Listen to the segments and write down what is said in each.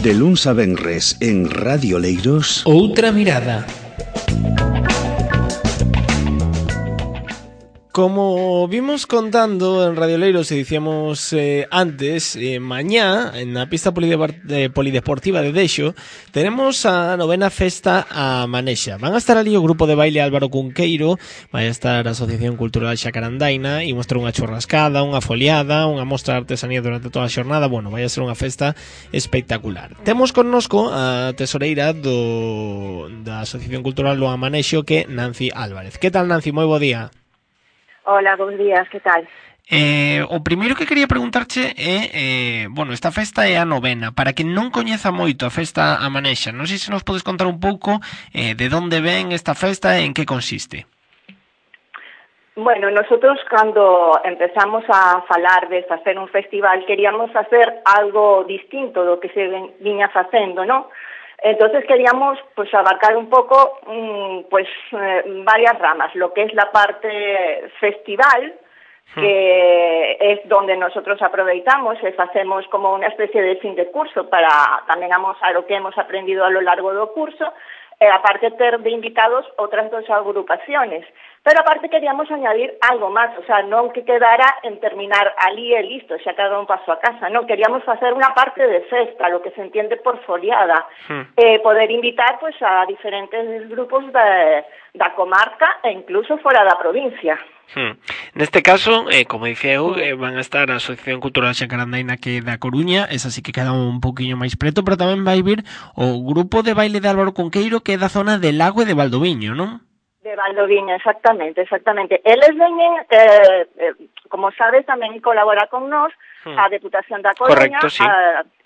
De luns a venres en Radio Leiros, Outra mirada. Como vimos contando en Radio Leiros e dicíamos antes, mañá, na pista polideportiva de Dexo, tenemos a novena festa a Manexa. Van a estar ali o grupo de baile Álvaro Cunqueiro, vai estar a Asociación Cultural Xacarandaina, e mostrar unha churrascada, unha foliada, unha mostra de artesanía durante toda a xornada. Bueno, vai a ser unha festa espectacular. Temos connosco a tesoreira da Asociación Cultural do Amanexo, que é Nancy Álvarez. Que tal, Nancy? Moi bo día. Hola, bons días, que tal? O primeiro que quería preguntarche é, esta festa é a novena. Para quen non coñeza moito a festa a Manexa, non sei se nos podes contar un pouco de onde ven esta festa e en que consiste. Bueno, nosotros cando empezamos a falar de facer un festival queríamos facer algo distinto do que se viña facendo, ¿no? Entonces queríamos pues abarcar un poco varias ramas, lo que es la parte festival, que es donde nosotros aproveitamos, hacemos como una especie de fin de curso para tamén amosar o que hemos aprendido a lo largo do curso, aparte ter de invitados outras dos agrupaciones. Pero aparte queríamos añadir algo máis, o sea, non que quedara en terminar ali e listo, xa cada un paso a casa, non, queríamos facer unha parte de festa, lo que se entiende por foliada, poder invitar pues a diferentes grupos da comarca e incluso fora da provincia. Neste caso, como dicía eu, van a estar a Asociación Cultural Xacarandaina, que é da Coruña, esa sí que queda un poquinho máis preto, pero tamén vai vir o grupo de baile de Álvaro Cunqueiro, que é da zona de Lago e de Valdoviño, non? De Valdoviño, exactamente. Eles veñen, como sabes, tamén colabora con nós a Deputación da Coruña. Correcto, sí.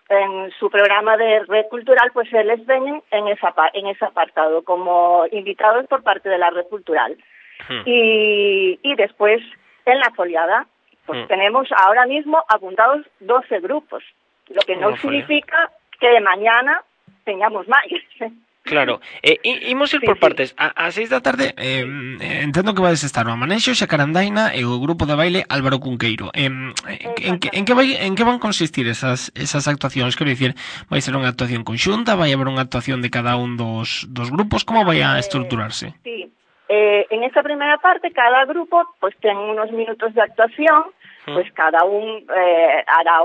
En su programa de Red Cultural, pues eles veñen en ese apartado, como invitados por parte de la Red Cultural. Y después, en la foliada, pues tenemos ahora mismo apuntados 12 grupos, lo que no significa que mañana tengamos máis. Claro, imos ir por partes. A 6 da tarde entendo que vades estar o Amanexo, Xacarandaina e o grupo de baile Álvaro Cunqueiro. En que van consistir esas actuacións? Quero dicir, vai ser unha actuación conxunta, vai haber unha actuación de cada un dos grupos? Como vai a estruturarse? Sí, en esta primera parte cada grupo pues ten unos minutos de actuación, pues cada un hará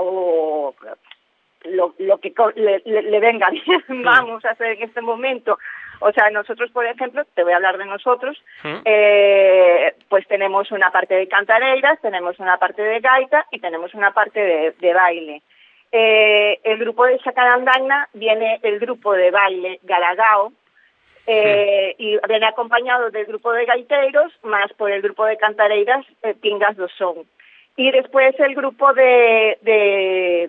lo que le venga bien, vamos a hacer en este momento. O sea, nosotros, por ejemplo, te voy a hablar de nosotros, pues tenemos una parte de cantareiras, tenemos una parte de gaita y tenemos una parte de baile. El grupo de Xacarandaina viene el grupo de baile Galagao, y viene acompañado del grupo de gaiteiros, más por el grupo de cantareiras Pingas do Son. Y después el grupo de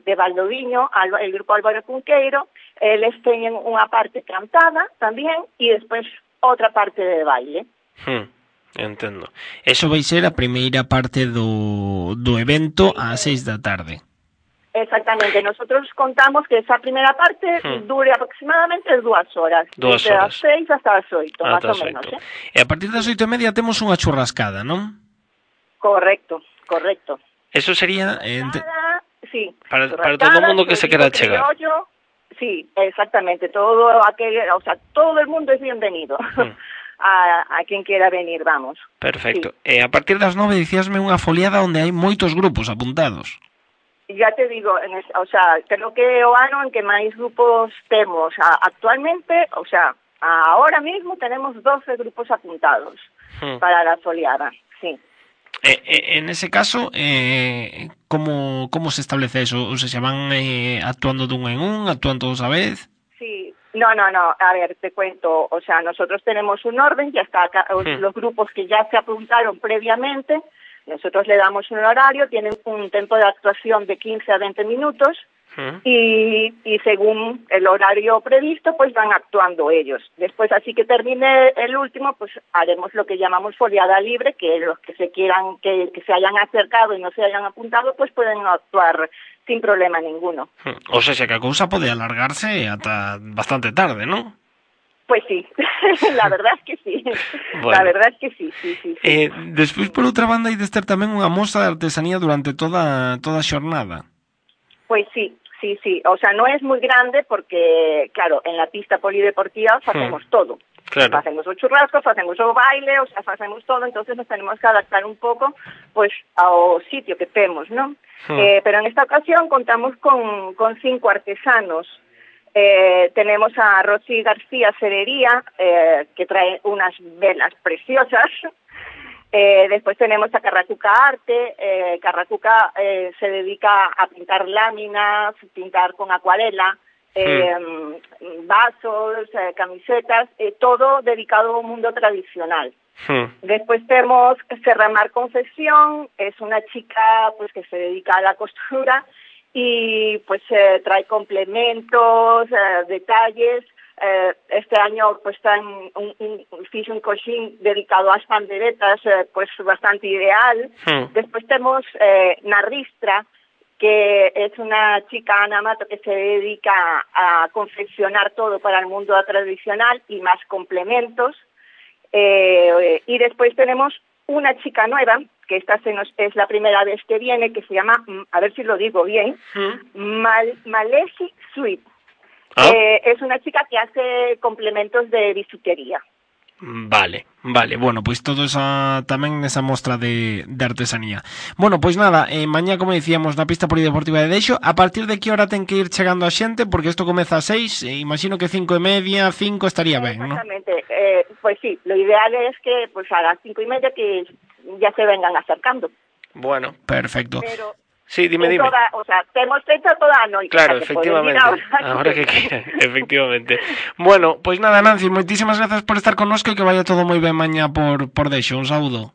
Valdoviño, el grupo Álvaro Cunqueiro, les teñen unha parte cantada tamén e despois outra parte de baile. Entendo. Eso vai ser a primeira parte do evento ás 6 da tarde. Exactamente. Nosotros contamos que esa primera parte dure aproximadamente 2 horas. Desde as 6 hasta as 8, más o menos. E a partir das 8:30 temos unha churrascada, non? Correcto. Eso sería sí, para todo el mundo que se quiera chegar. Sí, exactamente. Todo el mundo es bienvenido. A quien quiera venir, vamos. Perfecto. Sí. A partir das 9 dicíasme unha foliada onde hai moitos grupos apuntados. Ya te digo, creo que é o ano en que máis grupos temos. Actualmente, ahora mismo tenemos 12 grupos apuntados para la foliada, sí. En ese caso, ¿cómo se establece eso? O sea, ¿se van actuando de un en un, actúan todos a vez? Sí, no, a ver, te cuento, nosotros tenemos un orden, ya está acá, los grupos que ya se apuntaron previamente, nosotros le damos un horario, tienen un tiempo de actuación de 15 a 20 minutos, y según el horario previsto, pues van actuando ellos. Después, así que termine el último, pues haremos lo que llamamos foliada libre, que los que se quieran, que se hayan acercado y no se hayan apuntado, pues pueden actuar sin problema ninguno. O sea, que a cousa pode alargarse ata bastante tarde, ¿no? Pues sí, la verdad es que sí. Bueno. La verdad es que sí. Despois, por outra banda, hai de estar tamén unha mostra de artesanía durante toda a xornada. Pues sí, sí, sí. O sea, no es muy grande porque, claro, en la pista polideportiva facemos todo. Claro. Facemos o churrasco, facemos o baile, o sea, facemos todo, entonces nos tenemos que adaptar un pouco, pues, ao sitio que temos, ¿no? Pero en esta ocasión contamos con 5 artesanos. Tenemos a Rosy García Cerería, que trae unas velas preciosas. Después tenemos a Carracuca Arte. Carracuca se dedica a pintar láminas, pintar con acuarela, vasos, camisetas, todo dedicado al mundo tradicional. Después tenemos Serramar Confección, es una chica pues que se dedica a la costura y pues trae complementos, detalles. Este año pues está en un cojín dedicado a las panderetas, pues bastante ideal. Después tenemos Narristra, que es una chica, Ana Mato, que se dedica a confeccionar todo para el mundo tradicional y más complementos. Y después tenemos una chica nueva, que esta es la primera vez que viene, que se llama, a ver si lo digo bien, Malesi Sweet. Es una chica que hace complementos de bisutería. Vale, bueno, pois todo tamén nesa mostra de artesanía. Bueno, pois nada, mañá, como dicíamos, na pista polideportiva de Deixo. A partir de que hora ten que ir chegando a xente? Porque isto comeza a 6, imagino que 5:30, 5 estaría ben, ¿no? Exactamente, pues sí, lo ideal es que pues a las 5:30 que ya se vengan acercando. Bueno, perfecto. Pero sí, dime. O sea, hemos hecho toda a noite. Claro, efectivamente. Ahora que efectivamente. Bueno, pois nada, Nancy, moitísimas grazas por estar connosco e que vaya todo moi ben mañá por Deixo. Un saúdo.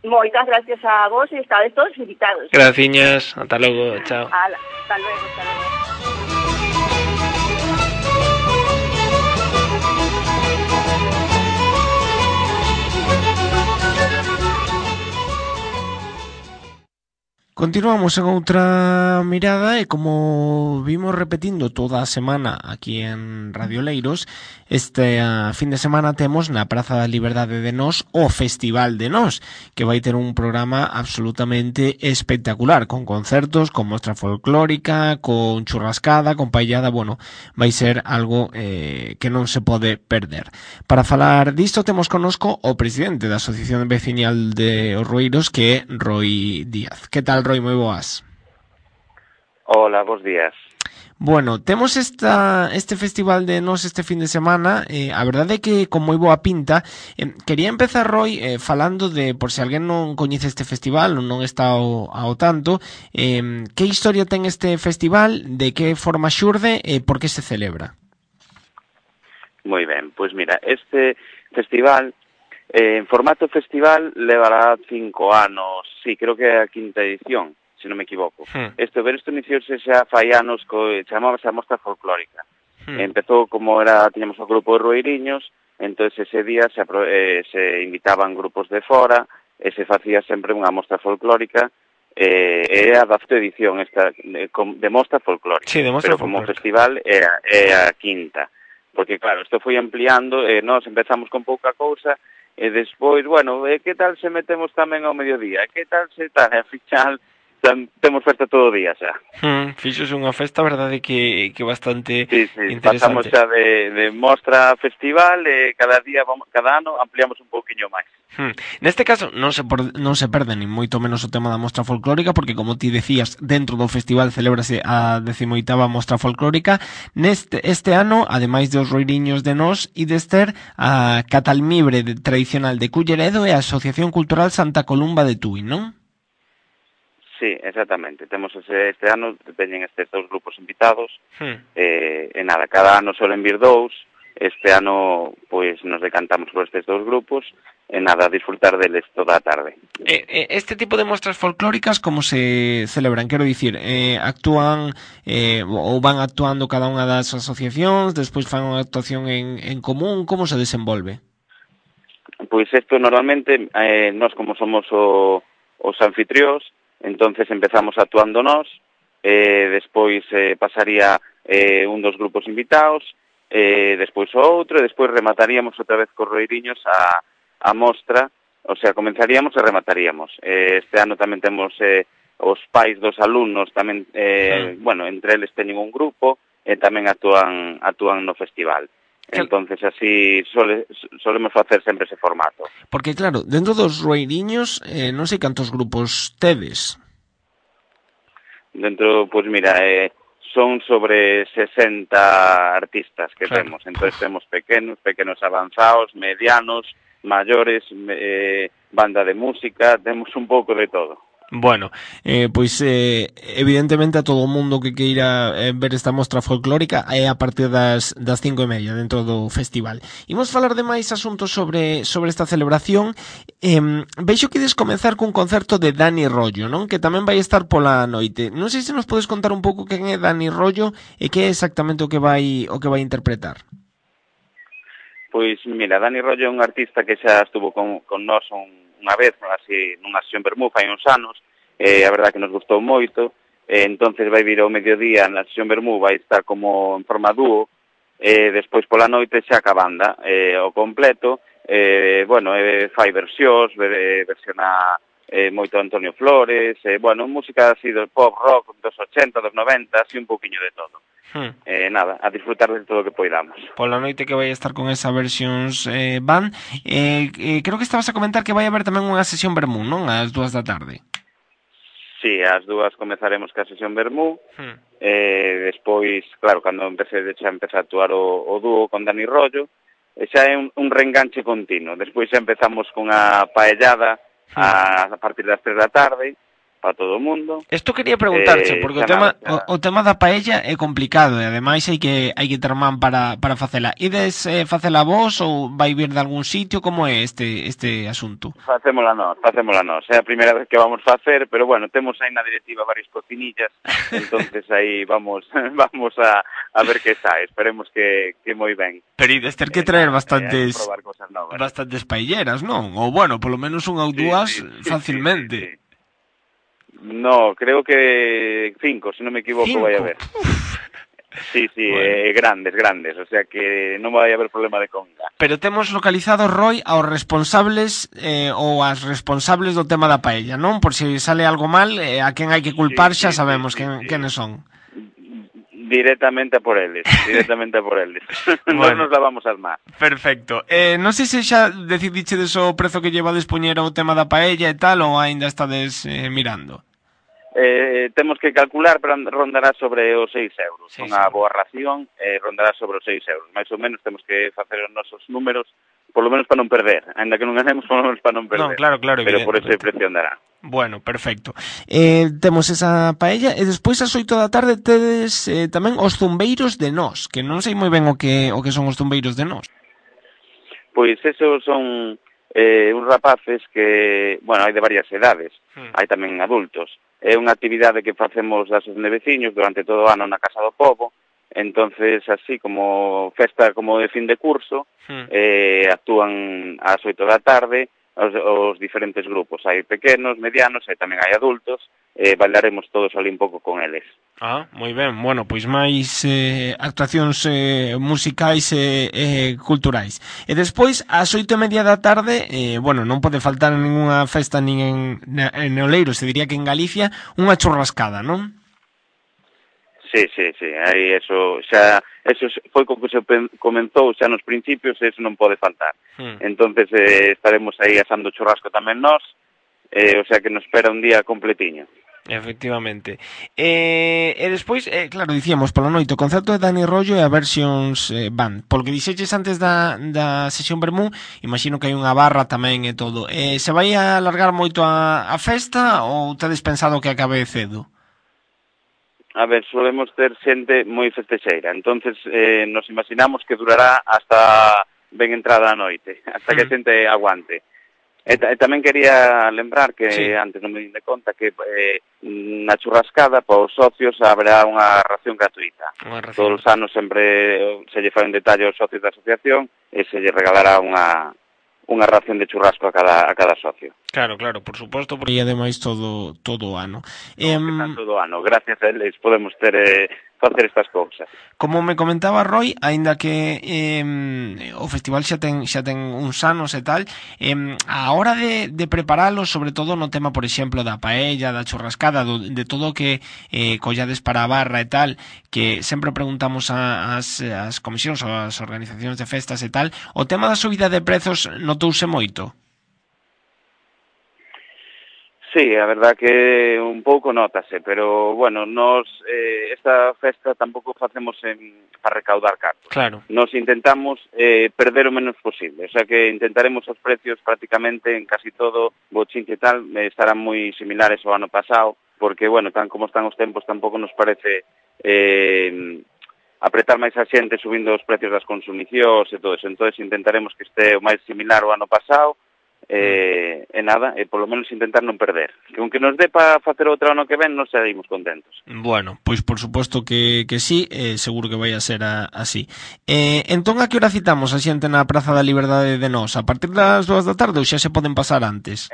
Moitas gracias a vos e estades todos invitados. Graciñas, ata logo, chao. Hasta luego, hasta luego. Continuamos en outra mirada e como vimos repetindo toda a semana aquí en Radio Leiros, este fin de semana temos na Praza da Liberdade de Nós o Festival de Nós, que vai ter un programa absolutamente espectacular, con concertos, con mostra folclórica, con churrascada, con paellada, bueno, vai ser algo que non se pode perder. Para falar disto temos connosco o presidente da Asociación Veciñal de Orrueiros, que é Roi Díaz. Que tal, Roi, moi boas. Hola, bons días. Bueno, temos este festival de Nós este fin de semana, a verdade é que con moi boa pinta. Quería empezar, Roi, falando de, por se alguén non coñece este festival ou non está ao tanto, que historia ten este festival, de que forma xurde e por que se celebra? Moi ben, pois mira, este festival en formato festival levará 5 anos, sí, creo que é a quinta edición, se non me equivoco. Isto iniciouse xa fai anos, chamábase a Mostra Folclórica. Empezou como tiñamos o grupo de Rueiriños, entón ese día se invitaban grupos de fora, e se facía sempre unha mostra folclórica, é a 10ª edición esta, de mostra folclórica. Sí, de mostra pero folclórica. Como festival é a quinta. Porque claro, isto foi ampliando, nós empezamos con pouca cousa, e despois, bueno, que tal se metemos tamén ao mediodía? Que tal se tal? E ao final temos festa todo o día xa. Fixos unha festa, verdade, que bastante interesante. Pasamos xa de mostra a festival e cada ano ampliamos un pouquiño máis. Neste caso non se perde nin moito menos o tema da mostra folclórica, porque como ti decías, dentro do festival celébrase a 18ª mostra folclórica. Este ano, ademais dos Roiriños de Nós e de Ester, a Catalmibre tradicional de Culleredo e a Asociación Cultural Santa Columba de Tui, non? Sí, exactamente. Temos este ano, teñen estes 2 grupos invitados, e nada, cada ano solen vir 2, este ano pois nos decantamos por estes 2 grupos, e nada, disfrutar deles toda a tarde. Este tipo de mostras folclóricas, como se celebran? Quero dicir, actúan ou van actuando cada unha das asociacións, despois fan unha actuación en común, como se desenvolve? Pois isto normalmente, nós como somos os anfitrións, entonces empezamos actuando nós, despois pasaría un dos grupos invitados, despois o outro, e despois remataríamos outra vez cos Roiriños a mostra, o sea, comenzaríamos e remataríamos. Este ano tamén temos os pais dos alumnos tamén, bueno, entre eles teñen un grupo e tamén actúan no festival. Entonces así solemos facer sempre ese formato. Porque claro, dentro dos Rueiriños non sei cantos grupos tedes. Dentro, pois mira, son sobre 60 artistas que temos. Entonces temos pequenos avanzados, medianos, maiores, banda de música, temos un pouco de todo. Bueno, pois evidentemente a todo o mundo que queira ver esta mostra folclórica é a partir das 5:30 dentro do festival. Imos falar de máis asuntos sobre esta celebración. Veixo que ides comenzar cun concerto de Dani Rollo, non? Que tamén vai estar pola noite. Non sei se nos podes contar un pouco quen é Dani Rollo e que é exactamente o que vai interpretar. Pois mira, Dani Rollo é un artista que xa estuvo con nós unha vez, así, nunha sesión Bermú, fai uns anos, a verdad que nos gustou moito, entonces vai vir ao mediodía na sesión Bermú, vai estar como en forma dúo, despois pola noite xa ca banda, o completo, bueno, fai versións, versiona moito Antonio Flores, bueno, música así do pop rock dos 80, dos 90, así un pouquiño de todo. Nada, a disfrutar de todo o que poidamos. Pola noite que vai estar con esa versións van, creo que estabas a comentar que vai haber tamén unha sesión Bermú, non? Ás 2 da tarde. Sí, ás 2 comezaremos ca sesión Bermú, despois, claro, cando xa empeza a actuar o dúo con Dani Rollo, xa é un reenganche continuo. Despois xa empezamos con a paellada a partir das 3 da tarde, para todo o mundo. Isto quería preguntarche, porque o tema da paella é complicado e ademais hai que ter man para facela. Ides facela vos ou vai vir de algún sitio? Como é este asunto? Facémola nós. É a primeira vez que vamos facer, pero bueno, temos aí na directiva varias cocinillas, entonces aí vamos a ver que sae. Esperemos que moi ben. Pero ides ter que traer bastantes paelleras, non? Ou bueno, polo menos unha ou dúas facilmente. Sí. No, creo que 5, se non me equivoco, vai haber. Sí, bueno. Grandes, o sea que non vai haber problema de comida. Pero temos localizado, Roy, aos responsables ou as responsables do tema da paella, non? Por se sale algo mal, a quen hai que culpar xa sabemos quenes son. Directamente a por eles. Bueno. Non nos lavamos as más. Perfecto. Non sei se xa decidichedes o prezo que llevades poñer o tema da paella e tal, ou aínda estades mirando? Temos que calcular, pero rondará sobre os 6 euros. Unha boa ración rondará sobre os 6 euros. Mais ou menos temos que facer os nosos números, polo menos para non perder. Ainda que non ganemos, polo menos para non perder. Non, claro, pero por ese precio andará. Bueno, perfecto. Temos esa paella e despois ás 8 da tarde tedes tamén os zumbeiros de nós, que non sei moi ben o que son os zumbeiros de nós. Pois esos son uns rapaces que, bueno, hai de varias edades, hai tamén adultos. É unha actividade que facemos das de veciños durante todo o ano na Casa do Pobo, entonces así como festa como de fin de curso, actúan ás 8 da tarde os diferentes grupos, hai pequenos, medianos e tamén hai adultos, bailaremos todos ali un pouco con eles. Moi ben, bueno, pois máis actuacións musicais e culturais. E despois, ás 8:30 da tarde, bueno, non pode faltar en ninguna festa nin en Oleiros, se diría que en Galicia, unha churrascada, non? Sí, aí eso foi co que se comenzou xa nos principios, eso non pode faltar. Entonces estaremos aí asando churrasco tamén nós, o sea que nos espera un día completiño. Efectivamente. E despois, claro, dicíamos pola noite o concerto de Dani Rollo e a versións van. Polo que dixeches antes da sesión Bermú, imagino que hai unha barra tamén e todo. Se vai alargar moito a festa ou tedes pensado que acabe cedo? A ver, solemos ter xente moi festexeira, entonces nos imaginamos que durará hasta ben entrada a noite, hasta que a xente aguante. E tamén quería lembrar que, antes non me din de conta, que na churrascada, para os socios, haberá unha ración gratuita. Todos os anos sempre se lle fai un detalle aos socios da asociación e se lle regalará unha ración de churrasco a cada socio. Claro, por suposto, porque ademais todo o ano. Todo o ano, gracias a eles podemos facer estas cousas. Como me comentaba Roy, aínda que o festival xa ten uns anos e tal, a hora de preparalo, sobre todo no tema, por exemplo, da paella, da churrascada, de todo o que collades para a barra e tal, que sempre preguntamos ás comisións ou ás organizacións de festas e tal, o tema da subida de prezos notouse moito? Sí, a verdad que un pouco nótase, pero, bueno, nos esta festa tampouco facemos para recaudar cartos. Claro. Nos intentamos perder o menos posible, o sea que intentaremos os precios prácticamente en casi todo, bochinche e tal, estarán moi similares ao ano pasado, porque, bueno, tan como están os tempos, tampouco nos parece apretar máis a xente subindo os precios das consumicións e todo eso, entón intentaremos que este o máis similar ao ano pasado, nada, polo menos intentar non perder. Que aunque nos dé para facer outro ano que ven, nos seguimos contentos. Bueno, pois por suposto que sí, seguro que vai a ser así. Entón, a que hora citamos a xente na Praza da Liberdade de Nós? A partir das 2 da tarde ou xa se poden pasar antes?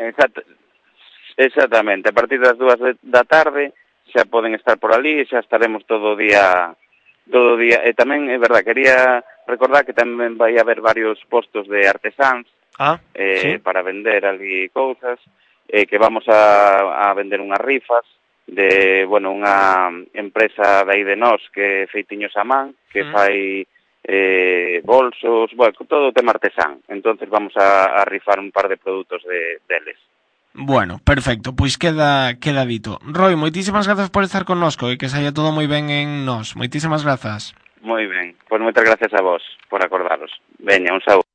Exactamente, a partir das 2 da tarde xa poden estar por ali e xa estaremos todo o día. E tamén, é verdad, quería recordar que tamén vai haber varios postos de artesáns sí, para vender ali cousas, que vamos a vender unhas rifas de, bueno, unha empresa de aí de Nós que feitiños a man, que fai bolsos, bueno, todo o tema artesán. Entonces vamos a rifar un par de produtos deles. Bueno, perfecto, pois queda dito. Roy, moitísimas grazas por estar connosco e que saia todo moi ben en Nós. Moitísimas grazas. Moi ben, pois moitas gracias a vos por acordaros. Veña, un saúdo.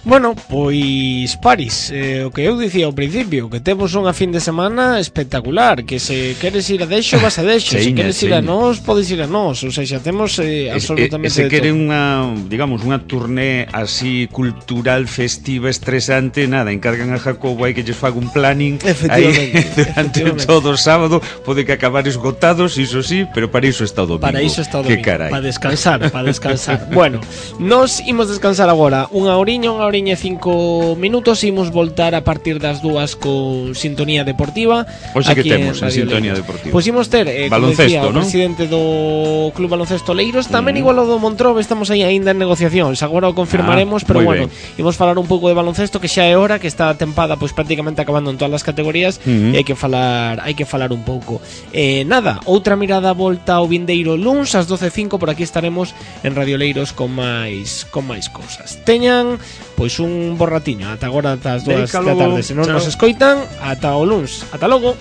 Bueno, pois Paris, o que eu dicía ao principio, que temos unha fin de semana espectacular, que se queres ir a Dexo, vas a Dexo, se queres ir a Nós, podes ir a Nós, ou seja, temos absolutamente se quere unha, digamos, unha turné así cultural, festiva, estresante, nada, encargan a Jacobo aí que lles faga un planning aí durante todo o sábado, pode que acabar esgotados, iso sí, pero para iso está o domingo. Para iso está o domingo, para descansar. Bueno, nos imos descansar agora unha horiña e 5 minutos, imos voltar a partir das 2 con Sintonía Deportiva. Hoxe que temos en Sintonía Deportiva? Pois imos ter, baloncesto, como decía, o presidente do Club Baloncesto Leiros, tamén igual o do Montrobe, estamos aí aínda en negociacións, agora o confirmaremos, pero bueno, imos falar un pouco de baloncesto, que xa é hora, que está a tempada pois prácticamente acabando en todas as categorías, e hai que falar un pouco. Nada, outra mirada volta ao vindeiro luns ás 12:05, por aquí estaremos en Radio Leiros con máis cousas. Teñan pois un borratiño ata agora, ata as 2 da tarde. Se non nos escoitan, ata o luns. Ata logo.